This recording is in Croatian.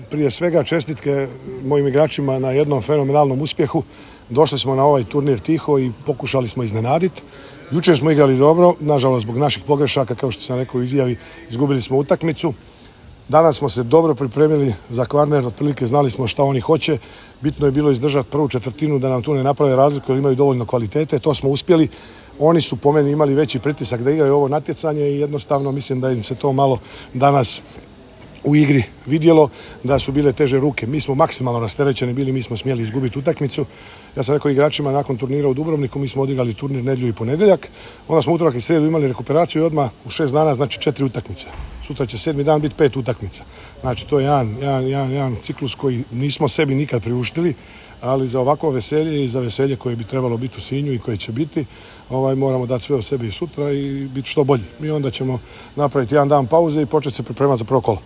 Prije svega čestitke mojim igračima na jednom fenomenalnom uspjehu. Došli smo na ovaj turnir tiho i pokušali smo iznenaditi. Jučer smo igrali dobro, nažalost zbog naših pogrešaka, kao što sam rekao u izjavi, izgubili smo utakmicu. Danas smo se dobro pripremili za Kvarner, otprilike znali smo šta oni hoće. Bitno je bilo izdržati prvu četvrtinu da nam tu ne naprave razliku jer imaju dovoljno kvalitete. To smo uspjeli. Oni su po meni imali veći pritisak da igraju ovo natjecanje i jednostavno mislim da im se to malo danas u igri vidjelo, da su bile teže ruke. Mi smo maksimalno rasterećeni bili, mi smo smjeli izgubiti utakmicu. Ja sam rekao igračima nakon turnira u Dubrovniku, mi smo odigrali turnir nedjelju i ponedjeljak. Onda smo utorak i srijedu imali rekuperaciju i odmah u 6 dana, znači 4 utakmice. Sutra će 7. dan biti 5 utakmica. Znači to je jedan ciklus koji nismo sebi nikad priuštili, ali za ovako veselje i za veselje koje bi trebalo biti u Sinju i koje će biti, moramo dati sve od sebe i sutra i biti što bolji. Mi onda ćemo napraviti jedan dan pauze i početi se pripremati za prvo kolo.